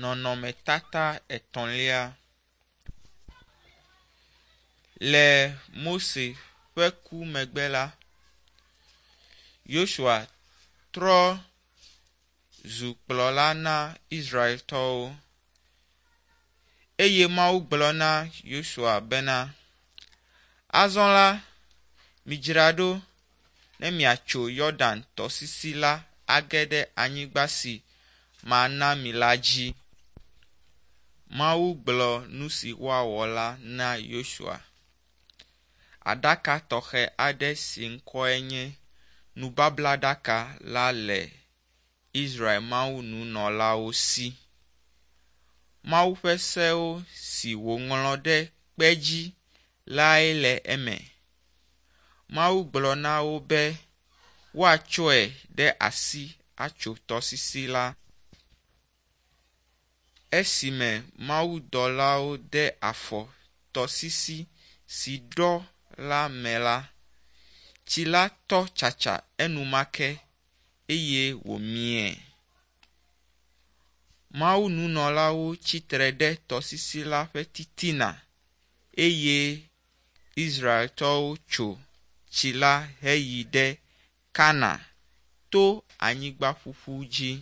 Nɔnɔmetata etɔ̃lia. Le Mose ƒe ku megbe la, Yosua trɔ zu kplɔla na Israeltɔwo. Eye Mawu gblɔ na Yosua bena, “Azɔ la, midzra ɖo ne miatso Yɔdan tɔsisi la age ɖe anyigba si mana mi la dzi.” Mawu gblɔ nu si woawɔ la na Yosua. Aɖaka tɔxɛ aɖe si ŋkɔe nye nubablaɖaka la le Israel mawununɔlawo si. Mawu ƒe sewo si wòŋlɔ ɖe kpe dzi lae le eme. Mawu gblɔ na wo be woatsɔe ɖe asi atso tɔsisi la. Esime mawudɔlawo de afɔ tɔsisi si ɖɔ la me la, tsi la tɔ tsatsa enumake eye wòmie. Mawununɔlawo tsitre ɖe tɔsisi la ƒe titina eye Israeltɔwo tso tsi la heyi ɖe Kana to anyigba ƒuƒu dzi.